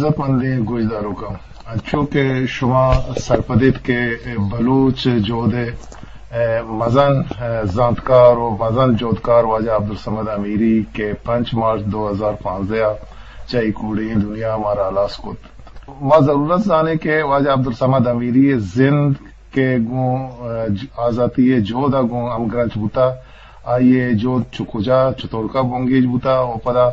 عزتمندیں گوشداروکاں، انچو کہ شما سرپد ایت کہ بلوچ جہد ءِ مزن زانتکار و مزن جہدکار واجہ عبدالصمد امیری کہ پنچ مارچ دو ہزار پانزدہ ءَ چہ اے کوڑیں دنیا ءَ مارا ہلاس کت، ما ضرورت زانیں کہ واجہ عبدالصمد امیری ءِ زند کہ گوں، آ، ج-، آزاتی ءِ جہد ءَ گوں ہمگرنچ بوتا، آئی ءِ جہد چہ کجا، چتورکا بنگیج بوتا و پدا،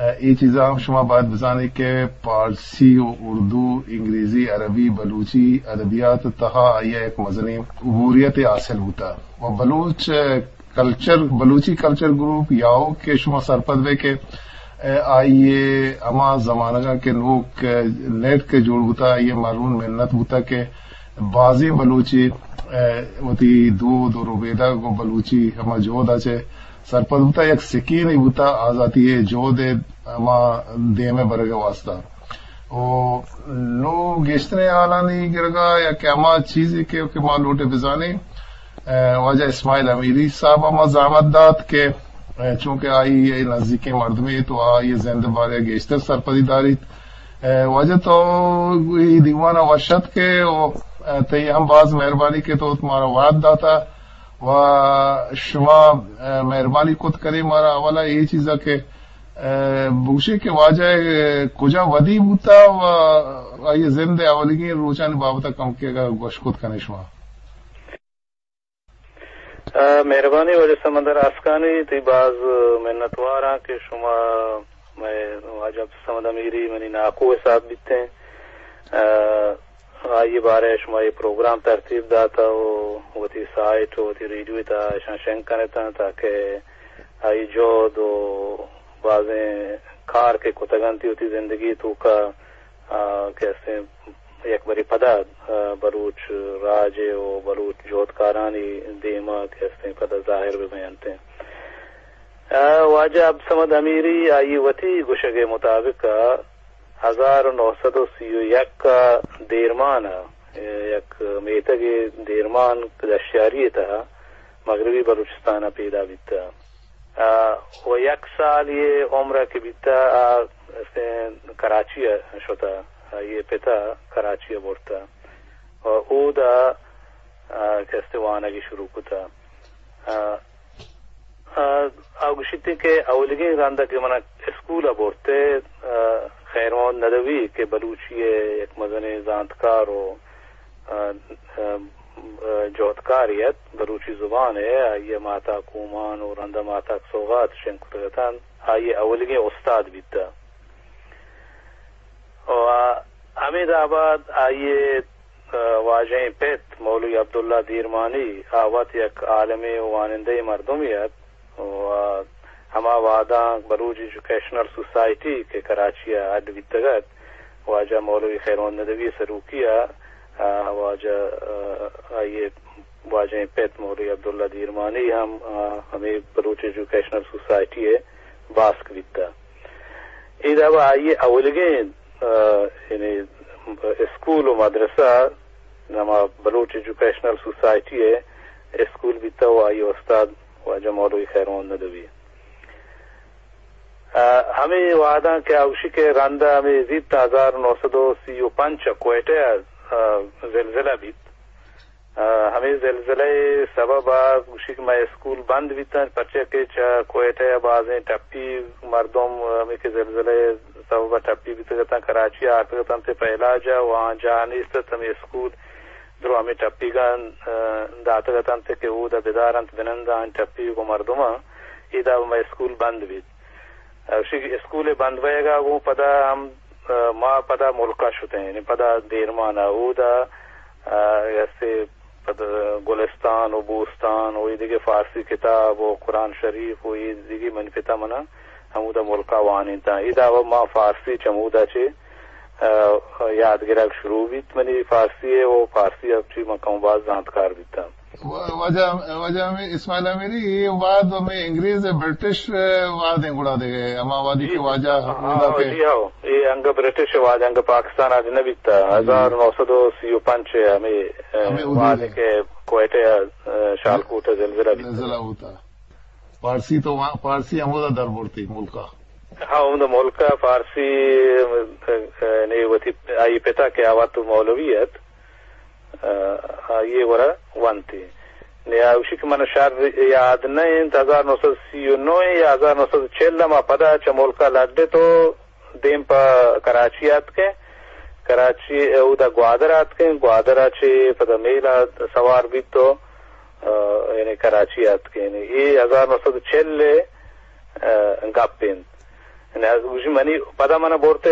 آ، اے چیزاں ہم شما باید بزانیں کہ پارسی و اردو، انگریزی، عربی، بلوچی ادبیات ءِ تہا آئی ءَ یک مزنیں عبوریتے حاصل بوتا و بلوچ، آ، کلچر، بلوچی کلچر گروپ یا کہ شما سرپد بے کہ، آ، آئی ءِ ہما زمانگاں کہ نوک، آ، نیٹ کہ جوڑ بوتا، آئی ءِ مرہون منت بوتا کہ بازیں بلوچے، آ، وتی دود و ربیدگ و بلوچی ہما جہد ءَ چہ سرپد بوتا، یک سکینے بوتا آزاتی ءِ جہد ءِ ہما دیم ءَ برگ ءِ واسطہ۔ و نوں گیشتریں حالانی گرگا یا کہ ہما چیزے کہ، کہ ما لوٹیں بزانیں، آ، واجہ اسماعیل امیری صاحب ءَ ما زحمت دات کہ، آ، چونکہ آئی ءِ نزیکیں مردمے تو آئی ءِ زند بارے گیشتر سرپدی داریت۔ آ، واجہ تو اے دیوان ءَ وش اتکے و، آ، تئی ہم باز مہربانی کہ تو مارا وہد داتا و شما، آ، مہربانی کت کنے مارا اولا اے چیزا کہ، آ، بگوشے کہ واجہ، آ، کجا ودی بوتا و آئی زند ءِ اولیگیں روچانی بابت ءَ کمکے اگاں گوش کت کنے شما۔ آ، مہربانی واجہ سمندر آسکانی، تئی باز منتواراں کہ شما مئے واجہ عبدالصمد امیری منی ناکو حساب بیتیں۔ آ، آئی بارے شما یہ پروگرام ترتیب داتا و وتی سائٹ و وتی ریڈیو تا اشاں شنگ کنتا تاکہ آئی جہد و بازیں کار کہ کتگنتی وتی زندگی توکا، آ، کہ استیں یک بری پدا، آ، بلوچ راج و بلوچ جہدکارانی دیما کہ استیں پدا ظاہر بہ بینتیں۔ آ، واجہ عبدالصمد امیری آئی وتی گوشگ ءِ مطابق ءَ ہزار و نو سد و سی و یک ءَ دیرمان ءَ، یک میتگے دیرمان دشتیاری ءِ تہا مغربی بلوچستان ءَ پیدا بیتہ۔ آ، و یک سال یہ عمر ءَ کہ بیتہ، آ، کراچی ءَ شتہ، آئی پت ءَ کراچی ءَ برتہ و اودا، آ، کہ استیں وانگی شروع کتہ۔ آ، آ، آ گوشیت کہ اولیگیں رند کہ منا اسکول ءَ برتے، آ، خیر محمد ندوی کہ بلوچی ءِ یک مزنیں زانتکار و، آ، آ، آ، جہدکارے ات بلوچی زبان ءِ، آئی ءَ ماتا کومان و رندا ماتاک سوغات شنگ کتگ اتنت، آئی ءِ اولیگیں استاد بیتہ۔ و ہمے دابا آئی ءِ، آ، واجہیں پت مولوی عبداللہ دیرمانی، آ وت یک عالمے و وانندہ مردمے ات و ہما وہداں بلوچ ایجوکیشنل سوسائٹی کہ کراچی ءَ اڈ بیتگ ات، واجہ مولوی خیر محمد ندوی سروکی ءَ، آ، واجہ، آ، آئی ءِ واجہیں پت مولوی عبداللہ دیرمانی ہم، آ، ہمے بلوچ ایجوکیشنل سوسائٹی ءِ باسک بیتہ۔ اے دابا آئی ءِ اولیگیں، آ، یعنی اسکول و مدرسہ ہما بلوچ ایجوکیشنل سوسائٹی ءِ اسکول بیتہ و آئی ءِ استاد واجہ مولوی خیر محمد ندوی۔ آ، ہمے وہداں کہ آ گوشی کہ رندا ہمے زیت ہزار نو سد و سی و پنچ ءَ کوئٹہ ءَ، آ، زلزلہ بیت۔ آ، ہمے زلزلہ ءِ سبب ءَ گوشی کہ مئے اسکول بند بیتنت، پرچا کہ چہ کوئٹہ ءَ بازیں ٹپی مردم، آ، ہمے کہ زلزلہ ءِ سبب ءَ ٹپی بیتگ اتنت، کراچی ءَ آرتگ اتنت پہ علاج ءَ و آ جاہ نیست ات، ہمے اسکول درو ہمے ٹپیگاں، آ، داتگ اتنت کہ اود ءَ بدارنت بنند آں ٹپی گوں مردماں، ادا مئے اسکول بند بیت۔ آ، گوشی کہ اسکول ءِ بند بئیگ ءَ گوں پدا ہم، آ، ما پدا ملک ءَ شتیں، یعنی پدا دیرمان ءَ اود ءَ، آ، ہستے پدا گلستان و بوستان و اے دگہ فارسی کتاب و قرآن شریف و اے دگہ منی پت ءَ منا ہمودا ملک ءَ وانینتاں۔ ادا و ما فارسی چمودا چہ، آ، یاد گرگ شروع بیت منی فارسی ءِ و فارسی ءَ چہ من کم باز زانتکار بیتاں۔ و-، واجہ، واجہ ہمے اسماعیل امیری، اے وہد ہمے انگریز ءُ برٹش ءِ وہد ایں گڑا دگہ، ہما وہدی کہ جی، واجہ ہاں، ہمودا ہاں، کہ جی ہاں، اے انگہ برٹش ءِ وہد، انگہ پاکستان آ نہ بیتا، جی۔ ہزار نو سد و سی و پنچ ءِ ہمے، اے، ہمے ادی وہد ءَ۔ کہ کوئٹہ ءَ، اے، شالکوٹ ءَ زلزلہ بیتا۔ زلزلہ ہوتا۔ پارسی تو وہاں، پارسی ہمودا در برتی ملکا۔ ہاں، ہمدا ملک ءَ فارسی، یعنی وتی آئی پتا کہ آ وت مولوی ات، آئی ءِ گورا ونتی۔ نی آ گوشی کہ من شر یاد نہ انت، ہزار نو سد سی و نو یا ہزار نو سد چل ءَ ما پدا چہ ملک ءَ لڈت و دیم پہ کراچی آتکیں۔ کراچی اودا گوادر آتکیں، گوادر ءَ چہ پدا میل ءَ سوار بیت و، آ، یعنی کراچی آتکیں۔ اے ہزار نو سد چل ءِ، آ، گپ انت۔ یعنی گوشی منی پدا من برت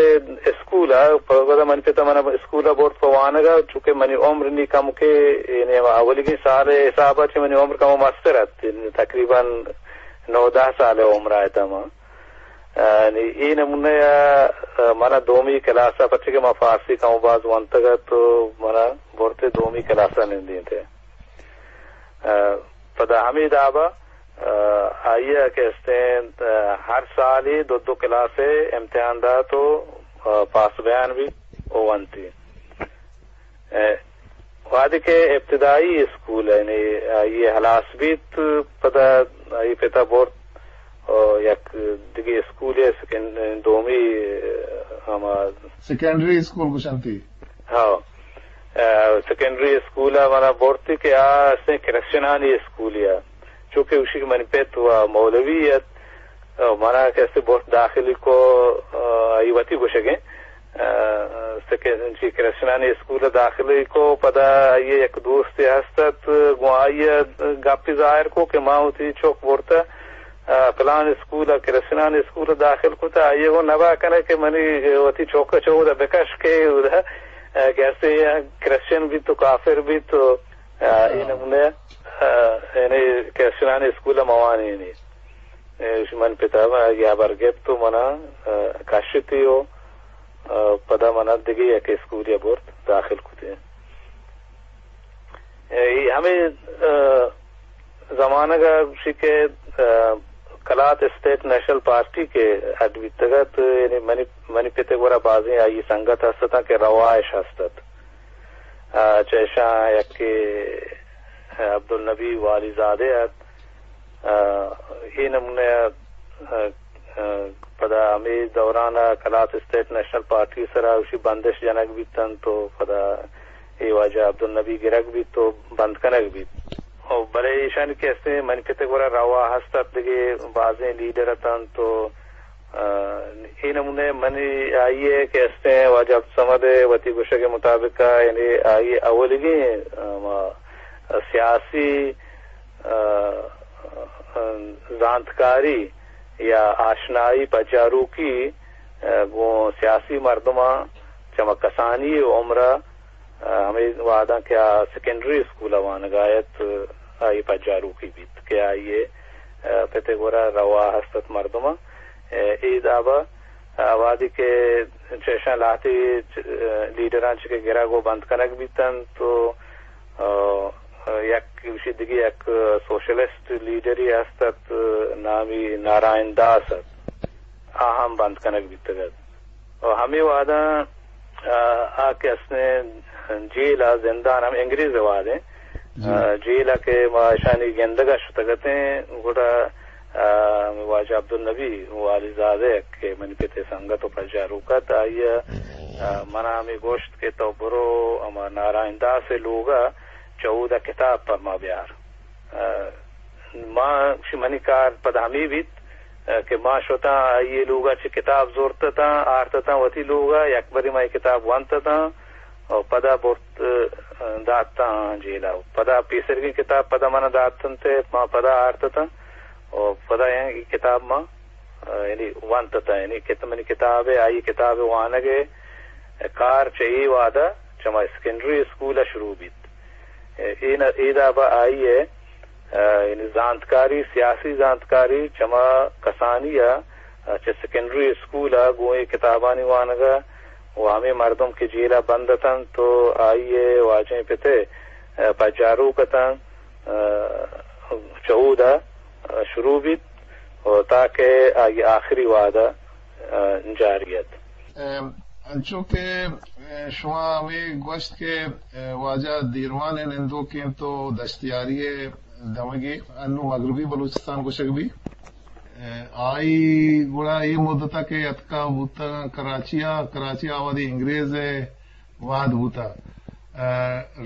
اسکول ءَ، پدا منی پتا من اسکول ءَ برت پہ وانگ ءَ، چونکہ منی عمر نی کمکے، یعنی ہما اولیگیں سال ءِ حساب ءَ چہ منی عمر کمو مستر ات، یعنی تقریباً نو دہ سال ءِ عمر ءَ اتاں من۔ آ، نی اے نمونہ ءَ، آ، من دومی کلاس ءَ، پرچہ کہ ما فارسی کم و باز ونتگ ات، تو من برت دومی کلاس ءَ نندینت۔ آ، پدا ہمے داب ءَ، آ، آئی ءَ کہ استیں، آ، ہر سالے دو دو کلاس ءِ امتحان دات و، آ، پاس بیان بیت و ونتی۔ اے، وہدے کہ ابتدائی اسکول، یعنی آئی ءِ ہلاس بیت، پدا آئی پتا برت و یک دگہ اسکولے سکن-، دومی، ہما سیکنڈری اسکول گوشنتی۔ ہاں۔ اے، سیکنڈری اسکول ءَ منا برتی کہ آ استیں کرسچنانی اسکولے ءَ۔ چونکہ گوشی کہ منی پت و مولوی ات، او منا کسے برت داخلی کو، آ، آئی وتی گوشگیں، آ، سکے-، چی کرسچنانی اسکول داخلی کو، پدا آئی یک دوستے ہست ات، گوں آئی گپی ظاہر کو کہ ما وتی چوک برتا، آ، پلان اسکول، کرسچنانی اسکول داخل کتا، آئی گوں نبا کنے کہ منی وتی چوک چو دا بکش کے اودا، آ، کسے کرسچن بیت و کافر بیت و، آ، اے نمونے، آ، یعنی کرسچنانی اسکول موانی نی۔ اے، من پتا ما آئی ہبر گپت و منا، آ، کشتی و، آ، پدا منا دگہ یک اسکولے برت داخل کتی۔ اے، ہمے، آ، زمانگ ءَ گوشی کہ، آ، کلات اسٹیٹ نیشنل پارٹی کہ اڈ بیتگ ات، یعنی منی، منی پت ءِ گورا بازیں آئی سنگت ہست اتاں کہ روایش ہست ات۔ آ، چہ اشاں یکے عبدالنبی والی زادہ ات۔ آ، اے نمونہ ءَ، آ، آ، پدا ہمے دوران ءَ کلات اسٹیٹ نیشنل پارٹی ءِ سرا اوشی بندش جنگ بیت انت و پدا اے واجہ عبدالنبی گرگ بیت و بند کنگ بیت۔ و بلے ایشانی کہ استیں منی پت ءِ گورا روا ہست ات، دگہ بازیں لیڈر اتنت و، آ، اے نمونہ منی آئی ءِ کہ استیں واجہ عبدالصمد ءِ وتی گوشگ ءِ مطابق ءَ، یعنی آئی ءِ اولیگیں، آ، ما سیاسی، آ، آ، زانتکاری یا آشنائی پجاروکی، آ، گوں سیاسی مردماں چہ ما کسانی عمر ءَ، آ، ہمے وہداں کہ آ سیکنڈری اسکول ءَ وانگ ءَ ات، آئی پجاروکی بیت کہ آئی ءِ، آ، پت ءِ گورا روا ہست ات مردماں۔ اے، اے داب ءَ، آ، وہدے کہ چہ اشاں لہتے چ-، آ، لیڈراں چہ کہ گرگ و بند کنگ بیت انت و، آ، یک گوشی دگہ یک سوشلسٹ لیڈرے ہست ات، نامی نارائن داس ات۔ آ ہم بند کنگ بیتگ ات۔ و ہمے وہداں، آ، آ کہ استیں جیل ءَ، زندان ہم انگریز ءِ وہدیں، جی۔ آ، جیل ءَ کہ ما اشانی گندگ ءَ شتگ اتیں، گڑا، آ، واجہ عبدالنبی والی زادہ کہ منی پت ءِ سنگت و پجاروک ات، آئی ءَ، آ، منا ہمے گوشت کہ تو برو ہما نارائن داس ءِ لوگ ءَ چہ اودا کتاب پہ ما بیار۔ آ، ما، منی کار پدا ہمے بیت، آ، کہ ما شتاں آئی ءِ لوگ ءَ چہ کتاب زرت اتاں، آرت اتاں وتی لوگ ءَ، یک برے ما اے کتاب ونت اتاں، و پدا برت، آ، دات اتاں جیل ءَ۔ پدا پیسرگیں کتاب پدا من ءَ دات انت، ما پدا آرت اتاں، و پدا اے کتاب ما، آ، یعنی ونت اتاں، یعنی کت-، منی کتاب ءِ، آئی کتاب ءِ وانگ ءِ کار چہ اے وہد ءَ چہ ما سیکنڈری اسکول ءَ شروع بیت۔ اے، اے ن-، اے داب ءَ آئی ءِ، آ، یعنی زانتکاری، سیاسی زانتکاری چہ ما کسانی ءَ، آ، چہ سیکنڈری اسکول ءَ گوں اے کتابانی وانگ ءَ و ہمے مردم کہ جیل ءَ بند اتنت تو آئی ءِ واجہیں پت ءِ، آ، پجاروک اتنت، آ، چہ اود ءَ، آ، شروع بیت و تاکہ آئی آخری وہد ءَ، آ، جاری ات۔ ام، انچو کہ، ام، شما ہمے گوشت کہ، ام، واجہ دیروان ءِ نندوکیں تو دشتیاری ءِ دمگے انو مغربی بلوچستان گوشگ بی۔ آئی گڑا اے مدت ءَ کہ اتکا بوتگ کراچی ءَ، کراچی ءَ وھدے انگریز ءِ وھد بوتگ۔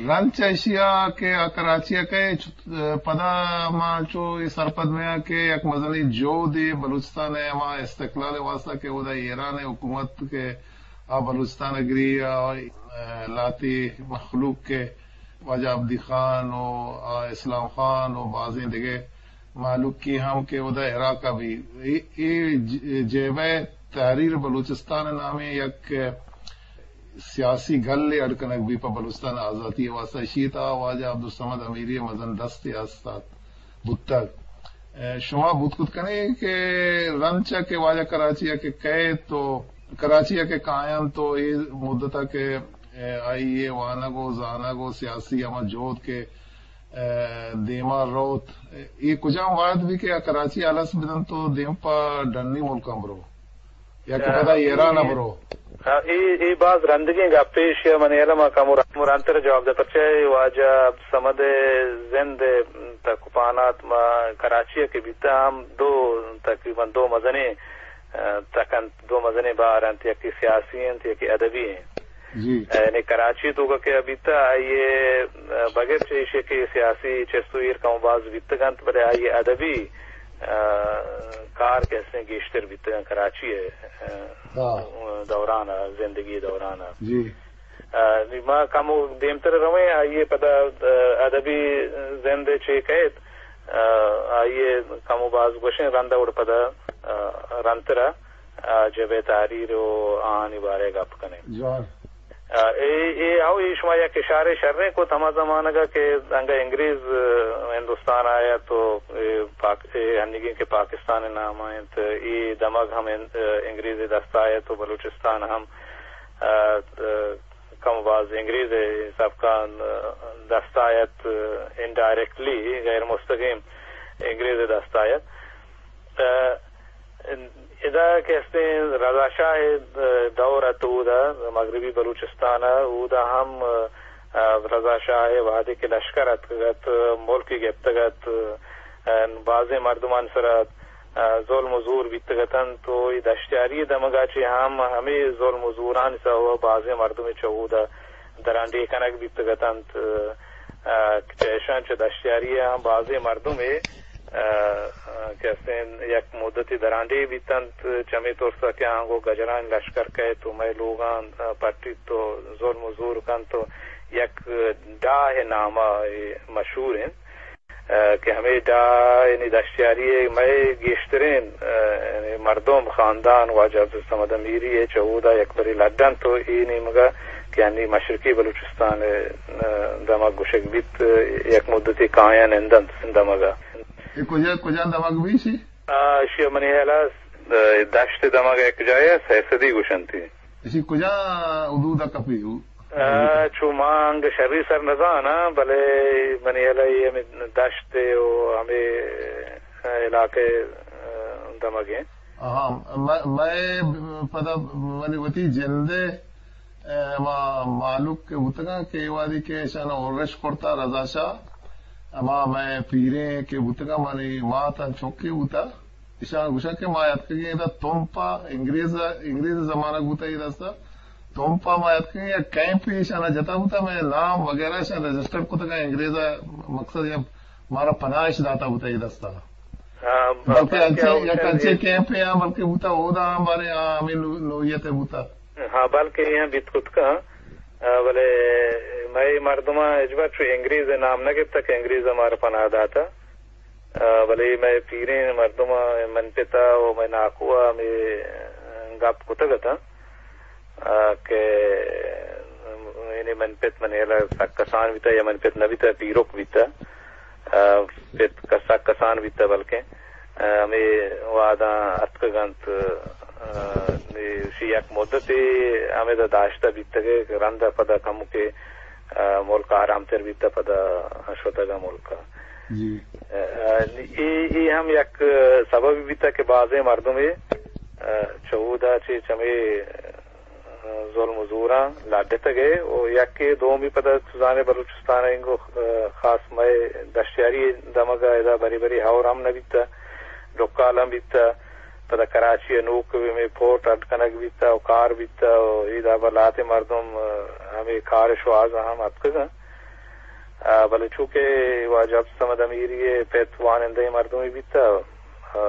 رند چہ ایشی ءَ کہ آ کراچی ءَ کئے، چ-، پدا ما چو اے سرپد بیاں کہ یک مزنیں جہدے بلوچستان ءِ ہما استقلال ءِ واستہ کہ اودا ایران ءِ حکومت کہ آ بلوچستان ءَ گری، آ، لہتے مخلوق کہ واجہ عبدی خان و آ اسلام خان و بازیں دگہ مہلوکی ہم کہ اودا عراق ءَ بی۔ اے، اے ج-، جبہہ تحریر بلوچستان نامیں یک سیاسی گلے اڈ کنگ بی پہ بلوچستان آزاتی ءِ واستہ۔ اشی تہا واجہ عبدالصمد امیری ءِ مزن دستے است ات، بوتگ۔ اے، شما بوت کت کنے کہ رند چہ کہ واجہ کراچی ءَ کہ کئیت و کراچی ءَ کہ کاینت و اے مدت ءَ کہ، اے، آئی ءِ وانگ و زانگ و سیاسی ہما جہد کہ، اے، دیما روت، اے کجام وھد بی کہ آ کراچی ءَ الس بدنت و دیم پہ ڈنی ملکاں برو یا کہ پدا ایران ءَ برو؟ آ، اے، اے باز رندگیں گپے، ایشی ءَ منی ہیال ءَ ما کمو ر-، کمو رندتر جواب دے، پرچہ اے واجہ عبدالصمد ءِ زند ءِ تک و پہنات ما کراچی ءَ کہ بیتہ ہم دو، تقریباً دو مزنیں، آ، تک انت، دو مزنیں بہر انت، یکے سیاسی انت، یکے ادبی انت۔ جی۔ یعنی کراچی ءِ توکا کہ بیتہ، آئی ءِ، آ، بغیر چہ ایشی کہ سیاسی چست و ایر کم و باز بیتگ انت، بلے آئی ءِ ادبی، آ، کار کہ استیں گیشتر بیتگ انت کراچی ءِ، آ، ہاں۔ دوران ءَ، زندگی ءِ دوران ءَ۔ جی۔ آ، نی ما کمو دیمتر رویں، آئی ءِ پدا، آ، ادبی زند ءَ چے کئیت، آ، آئی ءِ کمو باز گوشیں رند ءَ گڑا پدا، آ، رندتر ءَ، آ، جبہہ تحریر و آہانی بارہ ءَ گپ کنیں۔ جوان۔ آ، اے، اے، او، اے شما یک اشارے شریں کت ہما زمانگ ءَ کہ انگہ انگریز، آ، ہندوستان ءَ آیت و اے پاک-، اے ہنیگیں کہ پاکستان ءِ نام ءَ انت، اے دمگ ہم ان-، آ، انگریز ءِ دست ءَ آیت و بلوچستان ہم، آ، آ، کم باز انگریز ءِ سبکاں، آ، دست ءَ آیت، آ، انڈائریکٹلی، غیر مستقیم انگریز ءِ دست ءَ آیت۔ آ، ادا کہ استیں رضا شاہ ءِ دور ات، اودا مغربی بلوچستان ءَ، اودا ہم، آ، رضا شاہ ءِ وہدے کہ لشکر اتکگ ات، ملک گپتگ ات، آ، بازیں مردمانی سرا، آ، ظلم و زور بیتگ اتنت و اے دشتیاری ءِ دمگا چہ ہم ہمے ظلم و زورانی سبب ءَ بازیں مردمے چہ اودا درانڈیھ کنگ بیتگ اتنت۔ آ، چہ اشاں چہ دشتیاری ءَ ہم بازیں مردمے، آ، آ، کہ استیں یک مدتے درانڈیھ بیتنت، چمے ترس ءَ کہ آنگو گجرانی لشکر کئیت و مئے لوگاں، آ، پٹیت و ظلم و زور کنت و یک ڈاہ ءِ نام ءَ اے مشہور انت، آ، کہ ہمے ڈاہ یعنی دشتیاری ءِ مئے گیشتریں، آ، یعنی مردم، خاندان واجہ عبدالصمد امیری ءِ چہ اودا یک برے لڈنت و اے نیمگا کہ انی مشرقی بلوچستان ءِ، آ، دمگ گوشگ بیت، یک مدتے کایاں نندنت دمگا۔ اے کجا، کجا دمگ بیشی؟ آ، اشی منی ہیالا، آ، دشت دمگ یک جاہے سیصدی گوشنتی۔ اشی کجا حدود ءَ کپی؟ آ، چو ما انگہ شری سر نزاناں، بلے منی ہیالا اے ہمے دشت و ہمے علاقہ، آ، دمگیں۔ آہاں، مئے، مئے پدا منی وتی جندے، اے، ہما مہلوک کہ بوتگاں کہ اے وہدی کہ اشانا ارش کرتا رضا شاہ، ہما مئے پیریں کہ بوتگاں، منی ماتاں چکے بوتا، اشاں گوشاں کہ ما اتکگیں ادا تمپ ءَ، انگریز، انگریز زمانگ بوتا اے دستا، تمپ ءَ ما اتکگیں یک کیمپے اشانا جتا بوتا، مئے نام وغیرہ اشاں رجسٹر کتگاں، انگریز ءَ مقصد یا مارا پناہ اش داتا بوتا اے دستا۔ ہاں، بلکہ بلکہ انچیں، یک انچیں کیمپے آں بلکہ بوتا، اودا ہم بارے آ ہمیں نو-، نوعیت ءَ بوتا۔ ہاں، بلکہ اے ہم بیت کت کن، آ، بلے مئے مردماں ہچبر چو انگریز ءِ نام نہ گپتا کہ انگریز ءَ مارا پناہ داتا۔ آ، بلے مئے پیریں مردماں، من پتا و مئے ناکو ءَ ہمے گپ کتگ اتاں، آ، کہ یعنی من پت من ہیالا سک کسان بیتا یا من پت نہ بیتا، پیرک بیتا۔ آ، پت ک-، سک کسان بیتا بلکیں، آ، ہمے وہداں اتکگ انت، آ، ایشی یک مدتے ہمیدا داشتہ بیتگ ءُ رند ءَ پدا کمکے، آ، ملک آرام تر بیتہ پدا شتگ ءَ ملک ءَ۔ جی۔ آ، اے، اے ہم یک سببے بیتہ کہ بازیں مردمے، آ، چہ اودا چہ چمے ظلم و زوراں لڈتگ ءُ یکے دومی پدا تو زانے بلوچستان ءَ انگو خاص مئے دشتیاری دمگ ءَ ادا بری بری ہور ہم نہ بیتہ۔ ڈکال ہم بیتہ، پدا کراچی ء نوک ہمے پورٹ اڈ کنگ بیتہ و کار بیتہ و اے دابا لہتے مردم، ء، ہمے کار ء شوہاز ء ہم اتکگ انت۔ ء، بلے چونکہ واجہ عبدالصمد امیری ء پت وانندہیں مردمے بیتہ، ء،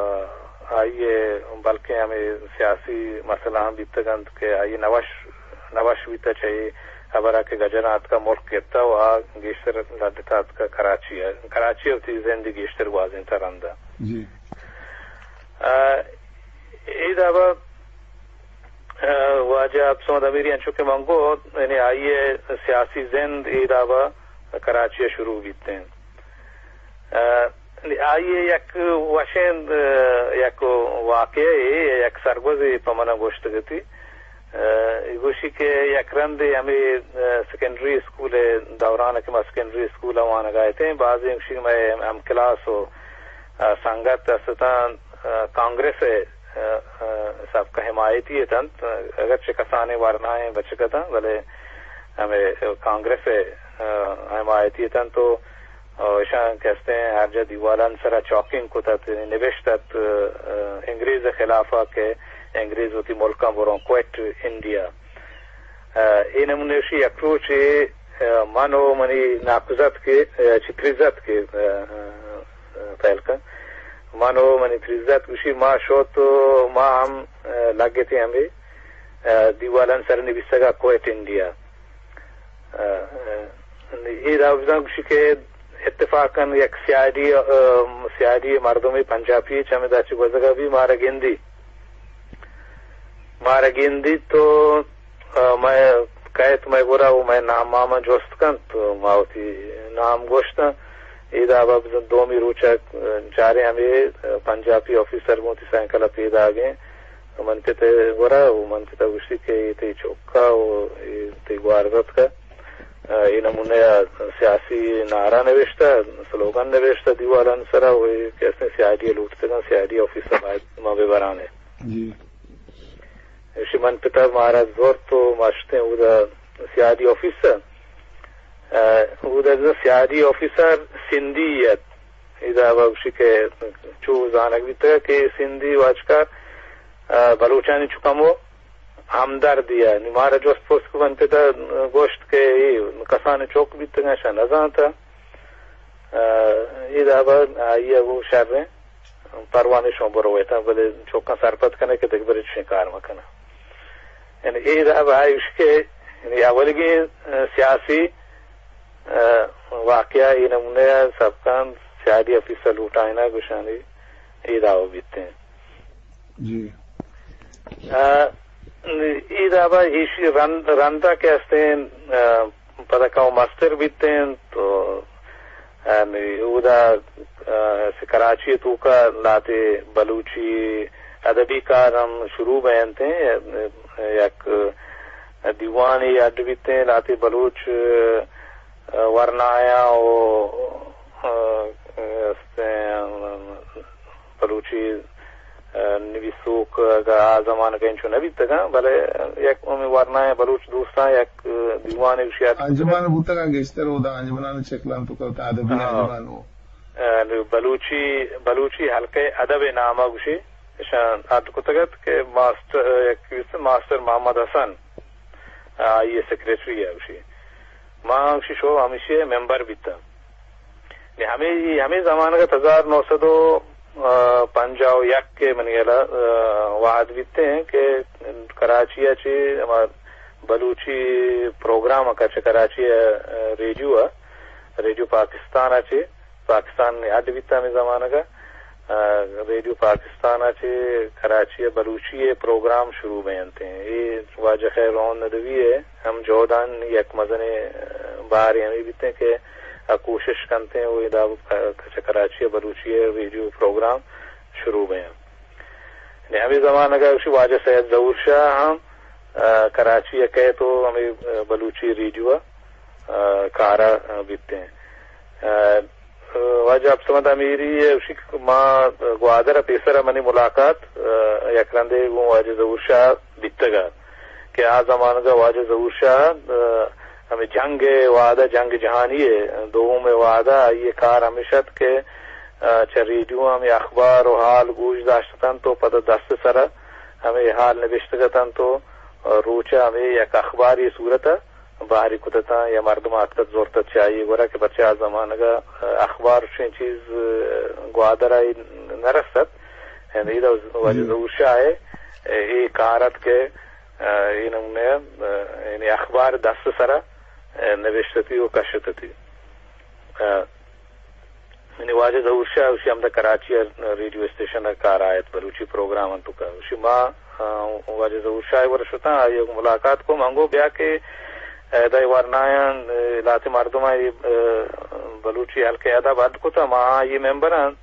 آئی ء بلکیں ہمے سیاسی مسئلہ ہم بیتگ انت کہ آئی ء نوش، نوش بیتہ چہ اے ہبر ء کہ گجراں اتکہ ملک گپتہ و آ گیشتر لڈتہ اتکہ کراچی ء۔ کراچی ء وتی زندی گیشتر گوازینتہ رند ء۔ جی۔ ء، اے دابا، ء، واجہ عبدالصمد امیری انچو کہ من گو، یعنی آئی ء سیاسی زند اے دابا کراچی ء شروع بیتیں۔ ء، آئی ء یک وشیں، ء، یک واقعہ ء یک سرگوزے پہ من گوشتگتی۔ ء، گوشی کہ یک رندے ہمے، ء، سیکنڈری اسکول ء دوران کہ ما سیکنڈری اسکول ء وانگ ء اتیں، بازیں گوشی کہ مئے ہم کلاس و، ء، سنگت است اتاں، ء، کانگریس ء، ء، ء، سبک ء حمایتی اتنت، اگرچہ کسانیں ورنائیں بچک اتاں، بلے ہمے کانگریس ء، ء، حمایتی اتنت و، ء، اشاں کہ استیں ہر جا دیوالان سرا چاکنگ کت ات، یعنی نبشت ات، ء، انگریز ء خلاف ء کہ انگریز وتی ملکاں بروں کوئٹ انڈیا۔ ء، اے نمونے اشی یک روچے، ء، من و منی ناکوزتک ء، ء، چہ تریزتک ء، ء، ء، پہل کن۔ من و منی تریزتک گوشی ما شوت و ما ہم، ء، لگتیں ہمے، ء، دیوالان سر نبیسگا کوئٹ انڈیا۔ ء، ء، اے دابزان گوشی کہ اتفاقاً یک سی آئی ڈی، ء، سی آئی ڈی مردمے پنجابی چہ ہمدا چہ گوزگا بی مارا گندی۔ مارا گندی تو، ء، مئے کئیت مئے گورا و مئے نام ماما جست کنت، تو ما وتی نام گوشتاں۔ اے دابا بزن دومی روچا، ء، چاریں ہمے، ء، پنجابی آفیسر گوں وتی سائیکل ء پیداگیں۔ من پت ء گورا و من پت ء گوشتی کہ اے تئی چوکا و اے تئی گوارزتکا۔ ء، اے نمونہ ء سیاسی نعرہ نوشتہ، سلوگن نوشتہ دیوالان سرا و اے کہ استیں سی آئی ڈی ء لوٹتگاں، سی آئی ڈی آفیسر باید ما بہ برانیں۔ جی۔ ایشی من پتا مارا زورت و ما شتیں اودا سی آئی ڈی آفیسر۔ ء، اودا سی آئی ڈی آفیسر سندھی ات۔ ادا گوشی کہ چو زانگ بیتگ کہ سندھی واجکار، ء، بلوچانی چو کمو ہمدردی ء۔ نی مارا جست پرس کو من پتا گوشت کہ اے کسان چوک بیتگاں شاہ نزانتا۔ ء، اے دابا آئی ء گوں شریں پروانے شما برویتاں، بلے چوکاں سرپد کنے کہ دگہ برے چشیں کار مکناں۔ یعنی اے دابا آئی اش کہ یعنی اولیگیں، ء، سیاسی، ء، واقعہ اے نمونہ ء سبکان سیادی آفیسر لوٹائنا گوشانی اے دابا بیتیں۔ جی۔ ء، اے دابا ایشی رند، رندا کہ استیں، ء، پدا کاو مستر بیتیں تو، ء، اودا، ء، کراچی توکا لاتے بلوچی ادبی کار ہم شروع بینتیں، یک دیوانے اڈ بیتیں لاتے بلوچ، ء، ورنایاں و، ء، استیں، بلوچی، ء، نبیسوک اگاں آ زمانگ ء انچو نہ بیتگاں، بلے یک ہمے ورنایاں بلوچ دوستاں یک دیوانے گوشی ات۔ انجمن بوتگاں گیشتر اودا انجمنانی شکلان تو کلتا ادبی ہاں۔ انجمن و۔ ء، بلوچی، بلوچی حلقہ ادب نامہ گوشی اشان اڈ کتگ ات کہ ماسٹر، یک ماسٹر محمد حسن، آئی سیکرٹری ء گوشی۔ ما گوشی شو ہمیشی ممبر بیتاں۔ نی ہمے، ہمے زمانگ ء ہزار نو سد و پنجاہ و یک ء منی ہیال ء، ء، وہد بیتیں کہ کراچی ء چہ ہما بلوچی پروگرام ء چہ کراچی ء ریڈیو ء، ریڈیو پاکستان ء چہ، پاکستان نی اڈ بیتا ہمے زمانگ ء، ء، ریڈیو پاکستان ء چہ کراچی ء بلوچی ء پروگرام شروع بینتیں۔ اے واجہ خیر روہن ندوی ء ہم جہدانی یک مزنیں، ء، بارے ہمے بیتیں کہ آ کوشش کنتیں و ادا ک-، چہ کراچی ء بلوچی ء ریڈیو پروگرام شروع بیاں۔ یعنی ہمے زمانگ ء گوشی واجہ سید ظہور شاہ ہم، ء، کراچی ء کئیت و ہمے، ء، بلوچی ریڈیو ء، ء، کار ء بیتیں۔ ء، واجہ عبدالصمد امیری ء گوشی کہ ما گوادر ء پیسر ء منی ملاقات، ء، یک رندے گوں واجہ ظہور شاہ بیتگ ء کہ آ زمانگ ء واجہ ظہور شاہ، ء، ہمے جنگ ء وہد ء، جنگ جہانی ء دوم ء وہد ء آئی ء کار ہمیش ات کہ آ، چہ ریڈیو ہمے اخبار و حال گوش داشت اتنت و پدا دست سرا ہمے حال نبشتگ اتنت و، آ، روچ ء ہمے یک اخباری صورت ء بہر کت اتاں یا مردم اتکت زرتت چہ آئی گورا کہ پرچہ آ زمانگ ء، آ، اخبار چیں چیز، آ، گوادر ء نہ رست ات۔ یعنی ادا واجہ ظہور شاہ ء اے کار ات کہ، آ، اے نمونہ، آ، یعنی اخبار دست سرا، آ، نبشتتی و کشتتی۔ آ، یعنی واجہ ظہور شاہ اشی ہمدا کراچی ء ریڈیو اسٹیشن ء کار آیت بلوچی پروگرام انت کا۔ اشی ما، آ، واجہ ظہور شاہ ور شتاں، آئی ء ملاقات کو منگو بیا کہ، آ، ادا ورنایاں، آ، لاتے مردم آئی، آ، بلوچی ہلکے ادب اد کتا، ما آئی ممبر انت۔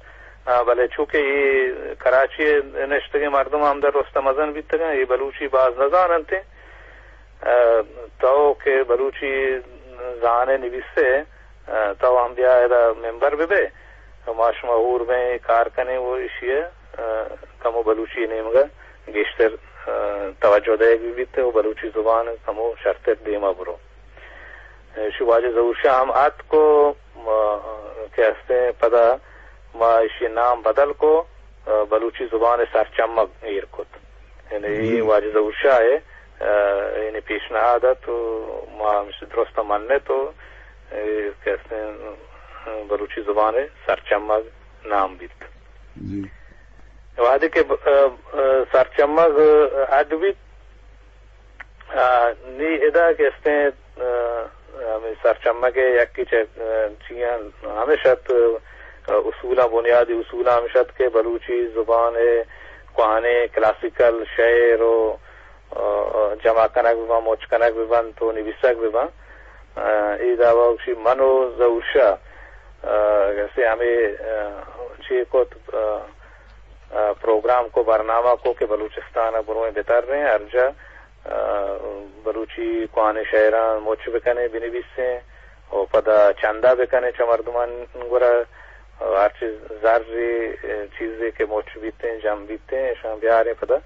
آ، بلے چونکہ اے کراچی ء نشتگیں مردم ہمدا رست مزن بیتگاں، اے بلوچی باز نزاننت۔ آ، تو کہ بلوچی زانے نویسے، آ، تو ہم بیا ادا ممبر بہ بئے، ما شما ہور بیں کار کنیں و اشی ء، آ، کمو بلوچی نیمگا گیشتر، آ، توجہ دئیگ بہ بیت و بلوچی زبان کمو شرتر دیما برو۔ اشی واجہ ظہور شاہ ہم اتک و، آ، کہ ہستیں پدا ما اشی نام بدل کو، آ، بلوچی زبان سرچمگ ایر کت۔ یعنی اے واجہ ظہور شاہ ء، آ، یعنی پیشنہاد ات و ما ہمش درست منت و، اے، کہ استیں، بلوچی زبان ء سرچمگ نام بیت۔ جی۔ وہدے کہ ب-، آ، آ، سرچمگ اڈ بیت، آ، نی ادا کہ استیں، آ، ہمیں سرچمگ ء یکی چہ، آ، چیاں ہمیش ات، آ، اصولاں، بنیادی اصولاں ہمیش ات کہ بلوچی زبان ء کوہنیں کلاسیکل شعر و، آ، جمع کنگ بہ بنت، مچ کنگ بہ بنت و نویسگ بہ بنت۔ آ، اے دعوی گوشی من و ظہور شاہ، آ، کسے ہمیں، آ، چے کت، آ، آ، پروگرام کو، برنامہ کو کہ بلوچستان ء بروئیں بتریں، ہر جا، آ، بلوچی کوہنیں شعراں مچ بکنیں، بنویسیں و پدا چندہ بکنیں چہ مردمان گورا، آ، ہرچی زر، چیزے کہ مچ بیتیں، جم بیتیں، اشاں بیاریں پدا،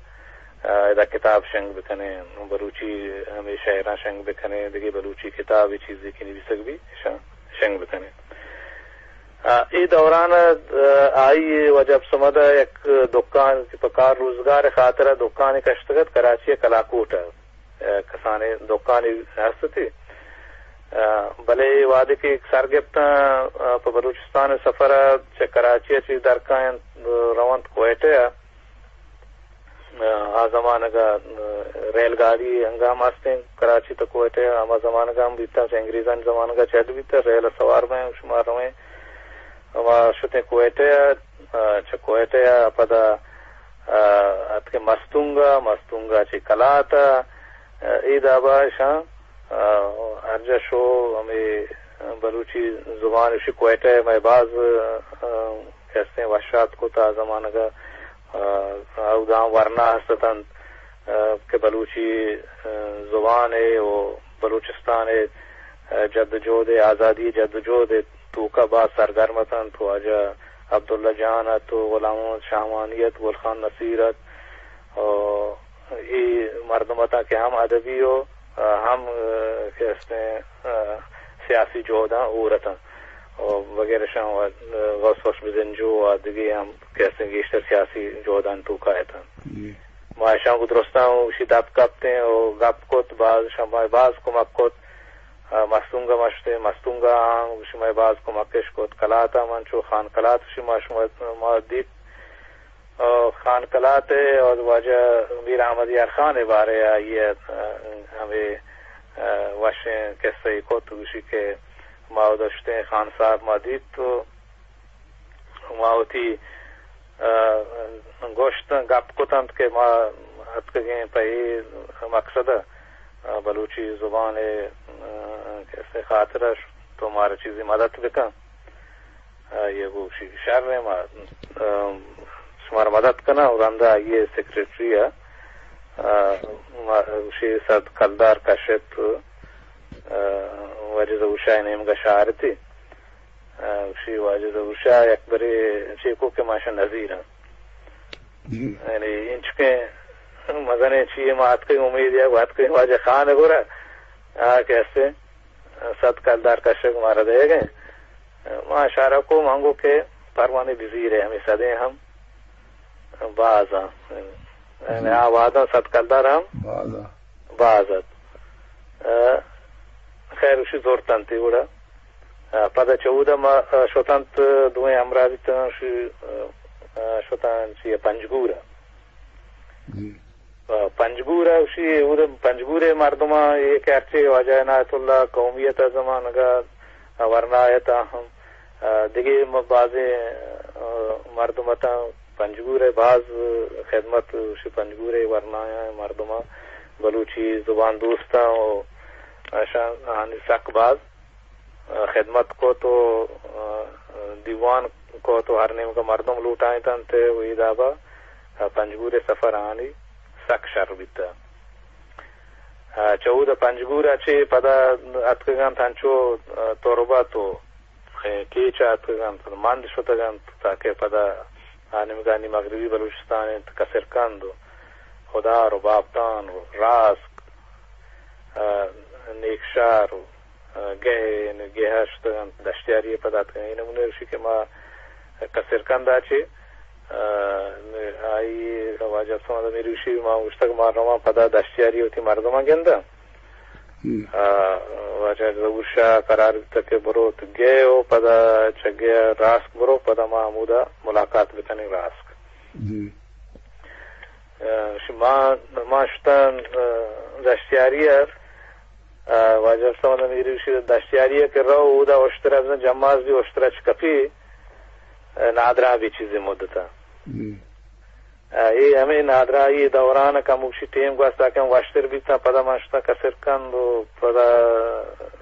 آ، ادا کتاب شنگ بکنیں، بلوچی ہمیں شعراں شنگ بکنیں، دگہ بلوچی کتاب چیزے کہ نویسگ بی، اشاں شنگ بکنیں۔ آ، اے دوران ء، آ، آئی ء واجہ عبدالصمد ء یک دکان کہ پہ کار روزگار ء خاطر ء دکانے کشتگ ات کراچی ء کلاکوٹ ء، آ، کسانیں دکانے ہست اتی۔ آ، بلے اے وہدے کہ سر گپتاں، آ، پہ بلوچستان ء سفر ء چہ کراچی ء چہ درکاینت، آ، رونت کوئٹہ ء۔ آ زمانگ ء ریل گاڑی انگہ ہم ہستیں کراچی تا کوئٹہ ء، ہما زمانگ ء ہم بیتاں، چہ انگریزانی زمانگ ء چہ اڈ بیتہ، ریل ء سوار بئیں، شما رویں۔ ہما شتیں کوئٹہ ء، آ، چہ کوئٹہ ء پدا، آ، اتکیں مستونگ ء، مستونگ ء چہ کلات ء، آ، اے دابا اشاں، آ، ہر جا شو ہمے بلوچی زبان اشی کوئٹہ ء مئے باز، آ، کسیں وشات کت آ زمانگ ء۔ آ، اوداں ورنا ہست اتنت، آ، کہ بلوچی، آ، زبان ء و بلوچستان ء، آ، جد و جہد ء، آزادی ء جد و جہد ء توکا باز سرگرم اتنت۔ واجہ عبداللہ جان ات و غلام محمد شاہوانی ات، گل خان نصیر ات، و اے مردم اتاں کہ ہم ادبی و، آ، ہم، آ، کہ استیں، آ، سیاسی جہداں ہور اتاں۔ و وغیرہ شان و غوث بخش بزنجو و دگہ ہم کہ استیں گیشتر سیاسی جہدان توکا اتاں۔ جی۔ ما اشاں گوں درستاں و اشی دپ کپتیں و گپ کت، باز شما باز کمک کت۔ آ، مستونگ ء مشتیں، مستونگ ء آں شما باز کمکش کت۔ کلات ء من چو خان کلات شما، شما ما دیت۔ آ، خان کلات ء اور واجہ میر احمد یار خان ء بارے ء آئی ء، آ، ہمے، آ، وشیں قصہ ء کت، گوشی کہ ما اود اشتیں خان صاحب ما دیت تو ما وتی، آ، گوشت گپ کتنت کہ ما اتکگیں پہ اے مقصد ء، آ، بلوچی زبان ء، آ، قصہ ء خاطر ء تو مارا چیزی مدد بکن۔ آئی ء گوشی، شر ایں، ما، آ، شمارا مدد کناں۔ و رندا آئی ء سیکرٹری ء، آ، ما گوشی، سد کلدار کشت، آ، واجہ ظہور شاہ ء نیمگ ء شہارتی۔ آ، گوشی، واجہ ظہور شاہ یک برے چیکو کہ ما شہ نظیر آں۔ جی۔ یعنی انچکیں مزنیں چیے ما اتکیں امید یا اتکیں واجہ خان ء گورا، آ، کہ ہستے سد کلدار کشگ مارا دئیگ ء۔ ما اشارہ کو، من گو کہ پروانہ بزیر ءِ ہمے سدیں ہم باز اَنت۔ یعنی آ وہداں صد کلدار ہم باز اَت۔ باز اَت۔ ءُ خیر، اشی زرت اَنت اے وڑا۔ ءُ پدا چہ اودا ما، ءُ شت اَنت، دوئیں ہمراہ بیتگ اَنت، اشی، ءُ، ءُ شت اَنت چی پنجگور ءَ۔ جی۔ ءُ پنجگور ءَ اشی، اودا پنجگور ءِ مردماں اے کہ ہرچی واجہ عنایت اللہ قومی اَت ءَ زمانگ ءَ، ورنا اَت ءَ ہم، ءُ دگہ م-، بازیں، ءُ مردم اَت اَنت، پنجگور ءِ باز خدمت، اشی پنجگور ءِ ورنایاں مردماں، بلوچی زبان دوستاں ءُ اشاں، آہانی سک باز، ءُ خدمت کت ءُ، ءُ دیوان کت ءُ ہر نیمگ ءَ مردم لوٹائینت اَنت ءُ اے داب ءَ، ءُ پنجگور ءِ سفر آہانی سک شر بیتگ۔ ءُ چہ اودا پنجگور ءَ چہ پدا اتکگ اَنت انچو، ءُ تربت ءُ کیچ ءَ اتکگ اَنت، مند شتگ اَنت، تاکہ پدا آ نیمگانی مغربی بلوچستان اِنت، کسرکند ءُ خدار ءُ بابتان ءُ راسک، ءُ نیکشار ءُ، ءُ گہ، گہ ءَ شتگ اَنت، دشتیاری ءَ پدا اتکگ اَنت۔ اے نمونہ اشی کہ ما کسرکند ءَ چہ، ءُ آئی واجہ عبدالصمد امیری اشی ما گوشتگ ما رواں پدا دشتیاری ءَ وتی مردماں گنداں۔ ہم۔ ءُ واجہ ظہور شاہ قرار بیتگ کہ برو تو گئے ءُ پدا چہ گئے راسک برو، پدا ما ہمودا ملاقات بکنیں راسک۔ جی۔ ءُ شما، ما شتاں، ءُ دشتیاری ءَ، ءُ واجہ عبدالصمد امیری اشی دشتیاری ءَ کہ رو، اودا اشتر ءَ بزاں جماز بی، اشتر ءَ چہ کپی، ءُ نادراہ بی چیزے مدت ءَ۔ جی۔ ءُ اے ہمے نادراہی دوران ءَ کموکشی ٹیم گوست، تاکہ ہم وشتر بیتاں، پدا من شتاں کسرکند ءُ پدا،